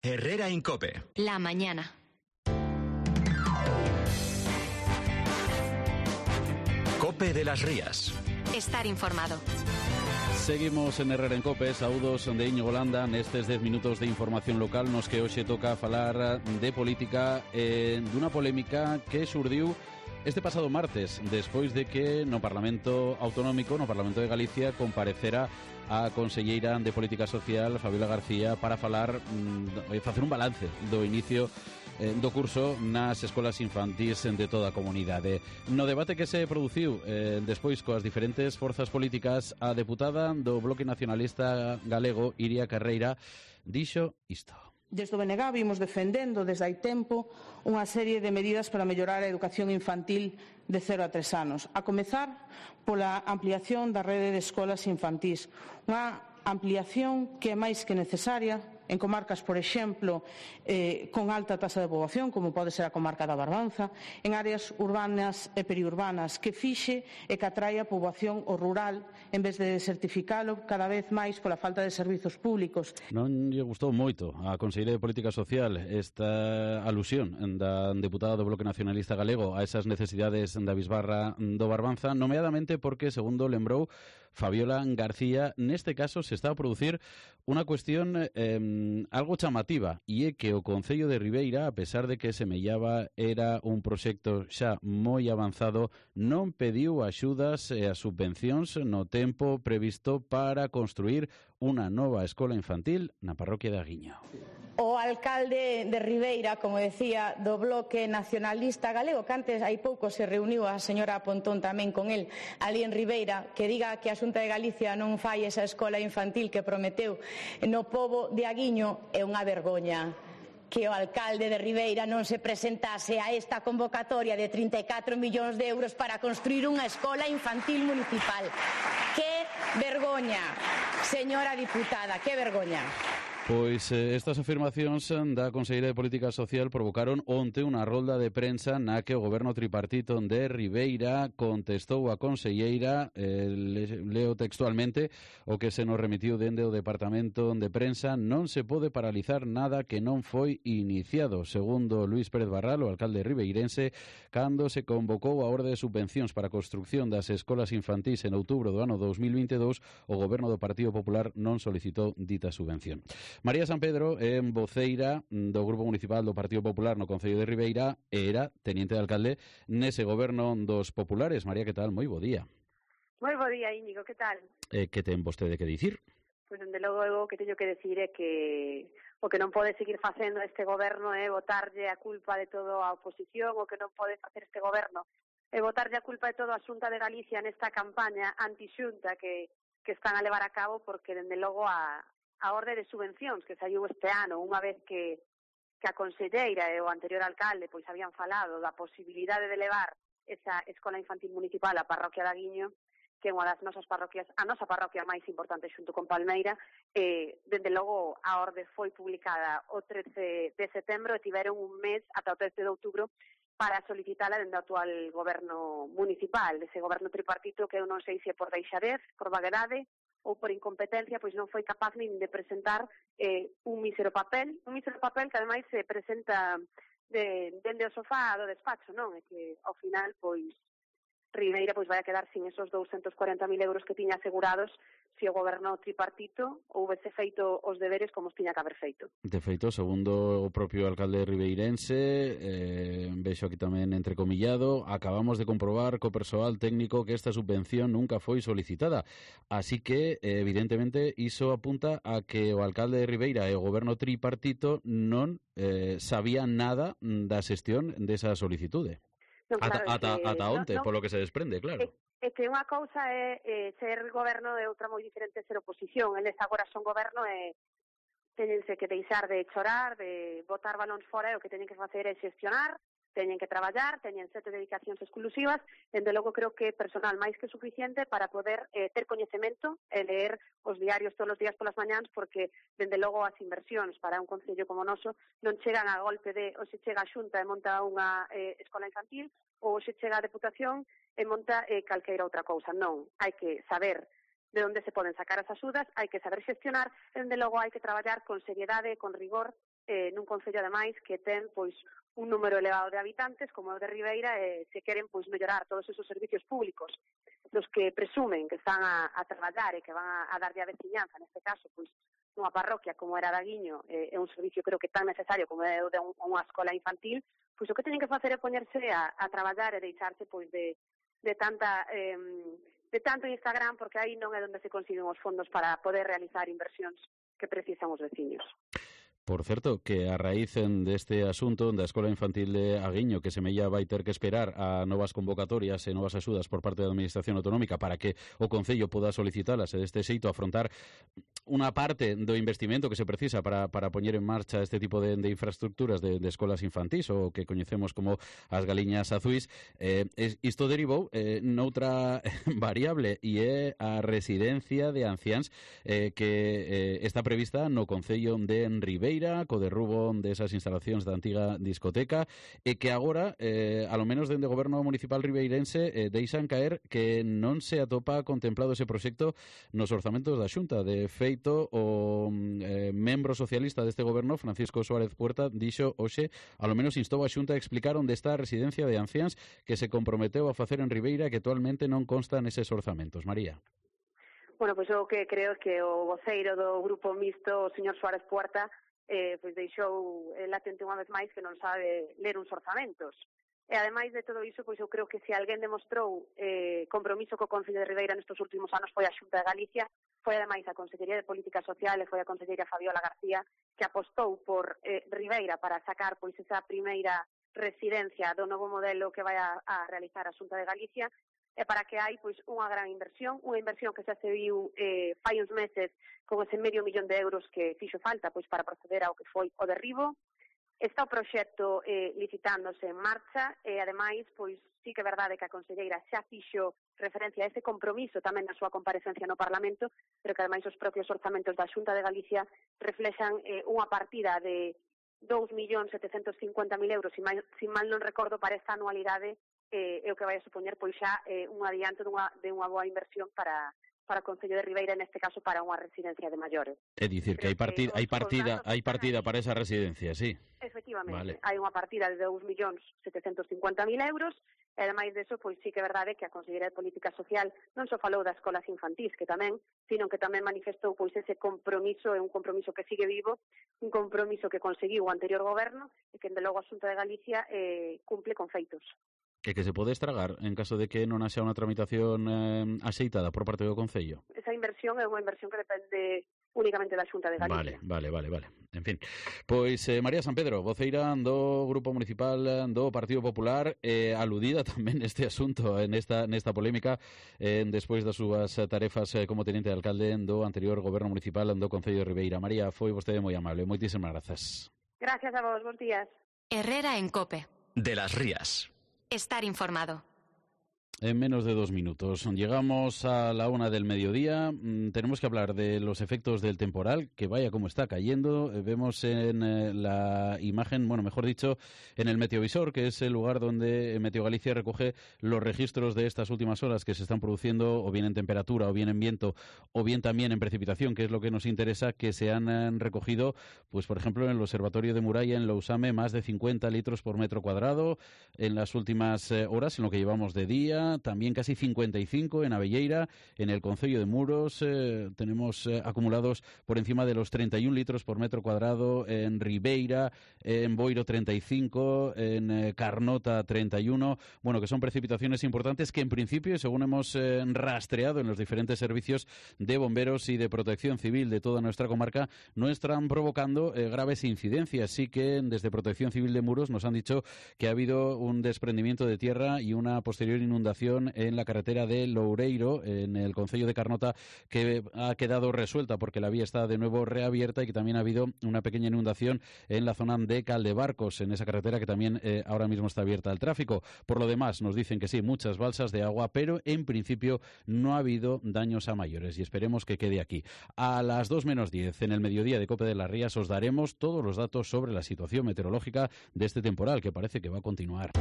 Herrera Incope. La mañana. Cope de las Rías. Estar informado. Seguimos en Herrera en Cope, saúdos de Íñigo Landa nestes 10 minutos de información local nos que hoxe toca falar de política dunha polémica que xurdiu este pasado martes, despois de que no Parlamento Autonómico, no Parlamento de Galicia, comparecera a conselleira de Política Social, Fabiola García, para falar, facer un balance do inicio do curso nas escolas infantís de toda a comunidade. No debate que se produciu despois coas diferentes forzas políticas, a deputada do Bloque Nacionalista Galego, Iria Carreira, dixo isto. Desde o BNG vimos defendendo desde hai tempo unha serie de medidas para mellorar a educación infantil de 0 a 3 anos, a comezar pola ampliación da rede de escolas infantís, unha ampliación que é máis que necesaria en comarcas, por exemplo, con alta taxa de poboación, como pode ser a comarca da Barbanza, en áreas urbanas e periurbanas, que fixe e que atrae a poboación o rural, en vez de desertificalo cada vez máis pola falta de servizos públicos. Non lle gustou moito a Conselleira de Política Social esta alusión da deputada do Bloque Nacionalista Galego a esas necesidades da bisbarra do Barbanza, nomeadamente porque, segundo lembrou Fabiola García, neste caso se está a producir unha cuestión algo chamativa, e é que o Concello de Ribeira, a pesar de que semellaba era un proxecto xa moi avanzado, non pediu axudas e as subvencións no tempo previsto para construir unha nova escola infantil na parroquia de Aguiño. O alcalde de Ribeira, como decía, do Bloque Nacionalista Galego, que antes hai pouco se reuniu a señora Pontón tamén con el ali en Ribeira, que diga que a Xunta de Galicia non fai esa escola infantil que prometeu no pobo de Aguiño, é unha vergoña que o alcalde de Ribeira non se presentase a esta convocatoria de 34 millóns de euros para construir unha escola infantil municipal. Que vergoña, señora diputada, que vergoña. Pois estas afirmacións da Conselleira de Política Social provocaron onte unha rolda de prensa na que o goberno tripartito de Ribeira contestou a conselleira, leo textualmente o que se nos remitiu dende o Departamento de Prensa: non se pode paralizar nada que non foi iniciado, segundo Luís Pérez Barral, o alcalde ribeirense, cando se convocou a orde de subvencións para a construcción das escolas infantís en outubro do ano 2022, o goberno do Partido Popular non solicitou dita subvención. María San Pedro é voceira do Grupo Municipal do Partido Popular no Concello de Ribeira e era teniente de alcalde nese goberno dos populares. María, que tal? Moi bo día. Moi bo día, Íñigo, que tal? Que ten vostede que dicir? Pois, dende logo, o que teño que decir é que o que non pode seguir facendo este goberno é botarlle a culpa de todo a oposición, o que non pode facer este goberno é botarlle a culpa de todo a Xunta de Galicia nesta campaña anti-Xunta que están a levar a cabo, porque, dende logo, a orde de subvencións que saiu este ano, unha vez que a conselleira e o anterior alcalde pois habían falado da posibilidade de levar esa escola infantil municipal á parroquia de Aguiño, que é unha das nosas parroquias, a nosa parroquia máis importante xunto con Palmeira, dende logo a orde foi publicada o 13 de setembro e tiveron un mes ata o 13 de outubro para solicitala dende o actual goberno municipal, ese goberno tripartito que eu non sei se é por deixadez, por vaguedade ou por incompetencia, pois non foi capaz nin de presentar un mísero papel que ademais se presenta dende o sofá do despacho, non? É que ao final, pois, Ribeira pois vai a quedar sin esos 240.000 euros que tiña asegurados se o goberno tripartito houvese feito os deberes como os tiña que haber feito. De feito, segundo o propio alcalde ribeirense, vexo aquí tamén entrecomillado, acabamos de comprobar co persoal técnico que esta subvención nunca foi solicitada. Así que, evidentemente, iso apunta a que o alcalde de Ribeira e o goberno tripartito non sabían nada da xestión desa solicitude. Non, claro, ata onte, polo que se desprende, claro. É que unha cousa é ser goberno e outra moi diferente ser oposición. Eles agora son goberno e teñense que deixar de chorar, de botar balóns fora, e o que teñen que facer é xestionar, teñen que traballar, teñen 7 dedicacións exclusivas, dende logo creo que personal máis que suficiente para poder ter coñecemento e ler os diarios todos os días polas mañáns, porque dende logo as inversións para un concello como o noso non chegan a golpe de ou se chega a Xunta e monta unha escola infantil, ou se chega a Deputación e monta calqueira outra cousa. Non, hai que saber de onde se poden sacar as axudas, hai que saber xestionar, e dende logo hai que traballar con seriedade, con rigor nun concello ademais que ten pois un número elevado de habitantes como é o de Ribeira, e se queren pois mellorar todos esos servicios públicos dos que presumen que están a traballar e que van a darlle a veciñanza, neste caso pois unha parroquia como era Daguiño, é un servicio creo que tan necesario como é o de unha escola infantil, pois o que teñen que facer é poñerse a traballar e deixarse pois de tanto Instagram, porque aí non é onde se consiguen os fondos para poder realizar inversións que precisan os veciños. Por certo, que a raíz deste asunto da Escola Infantil de Aguiño, que semella vai ter que esperar a novas convocatorias e novas axudas por parte da Administración Autonómica para que o Concello poda solicitalas e deste xeito afrontar unha parte do investimento que se precisa para poñer en marcha este tipo de infraestructuras de escolas infantís, o que coñecemos como as galiñas azuis, isto derivou noutra variable, e é a residencia de anciáns que está prevista no Concello de Ribeira, co derrubo desas instalacións da antiga discoteca, e que agora, alo menos dende o Goberno Municipal ribeirense, deixan caer que non se atopa contemplado ese proxecto nos orzamentos da Xunta. De feito, o membro socialista deste Goberno, Francisco Suárez Puerta, dixo hoxe, alo menos instou a Xunta a explicar onde está a residencia de anciáns que se comprometeu a facer en Ribeira, que actualmente non consta neses orzamentos. María. Bueno, pois o que creo que o voceiro do Grupo Mixto, o señor Suárez Puerta, pois deixou latente unha vez máis que non sabe ler uns orzamentos. E ademais de todo iso, pois eu creo que se alguén demostrou compromiso co Concello de Ribeira nestes últimos anos foi a Xunta de Galicia, foi ademais a Consellería de Política Social e foi a conselleira Fabiola García que apostou por Ribeira para sacar pois esa primeira residencia do novo modelo que vai a realizar a Xunta de Galicia, e para que hai pois unha gran inversión, unha inversión que xa se viu fai uns meses con ese medio millón de euros que fixo falta pois para proceder ao que foi o derribo. Está o proxecto licitándose en marcha e ademais pois sí que é verdade que a conselleira xa fixo referencia a ese compromiso tamén na súa comparecencia no Parlamento, pero que ademais os propios orzamentos da Xunta de Galicia reflexan unha partida de 2.750.000 euros, se mal non recordo, para esta anualidade, é o que vai a supoñer pois xa un adianto de unha boa inversión para o Concello de Ribeira, neste caso para unha residencia de maiores. É dicir, que hai partida para esa residencia, sí. Efectivamente, vale. Hai unha partida de 2.750.000 euros, e ademais deso, pois sí que é verdade que a Consellería de Política Social non só falou das escolas infantís, que tamén, sino que tamén manifestou pois ese compromiso, é un compromiso que sigue vivo, un compromiso que conseguiu o anterior goberno e que, de logo, a Xunta de Galicia cumple con feitos. Que se pode estragar en caso de que non haxa unha tramitación axeitada por parte do Concello? Esa inversión é unha inversión que depende únicamente da Xunta de Galicia. Vale. En fin, pois María San Pedro, voceira do Grupo Municipal do Partido Popular, aludida tamén neste asunto, nesta polémica, despois das súas tarefas como tenente de alcalde do anterior Goberno Municipal do Concello de Ribeira. María, foi vostede moi amable. Moitísimas grazas. Gracias a vos, bons días. Herrera en COPE. De las Rías. Estar informado. En menos de 2 minutos. Llegamos a la 1 del mediodía. Tenemos que hablar de los efectos del temporal, que vaya como está cayendo. Vemos en la imagen, bueno, mejor dicho, en el meteovisor, que es el lugar donde Meteo Galicia recoge los registros de estas últimas horas que se están produciendo, o bien en temperatura, o bien en viento, o bien también en precipitación, que es lo que nos interesa, que se han recogido, pues por ejemplo, en el Observatorio de Muralla, en Lousame, más de 50 litros por metro cuadrado en las últimas horas, en lo que llevamos de día. También casi 55 en Abelleira, en el Concello de Muros tenemos acumulados por encima de los 31 litros por metro cuadrado, en Ribeira, en Boiro 35, en Carnota 31, bueno, que son precipitaciones importantes que en principio, según hemos rastreado en los diferentes servicios de bomberos y de protección civil de toda nuestra comarca, no están provocando graves incidencias. Sí que desde Protección Civil de Muros nos han dicho que ha habido un desprendimiento de tierra y una posterior inundación en la carretera de Loureiro, en el concello de Carnota, que ha quedado resuelta porque la vía está de nuevo reabierta, y que también ha habido una pequeña inundación en la zona de Caldebarcos, en esa carretera que también ahora mismo está abierta al tráfico. Por lo demás, nos dicen que sí, muchas balsas de agua, pero en principio no ha habido daños a mayores, y esperemos que quede aquí. A las 2 menos 10, en el mediodía de COPE de las Rías, os daremos todos los datos sobre la situación meteorológica de este temporal, que parece que va a continuar.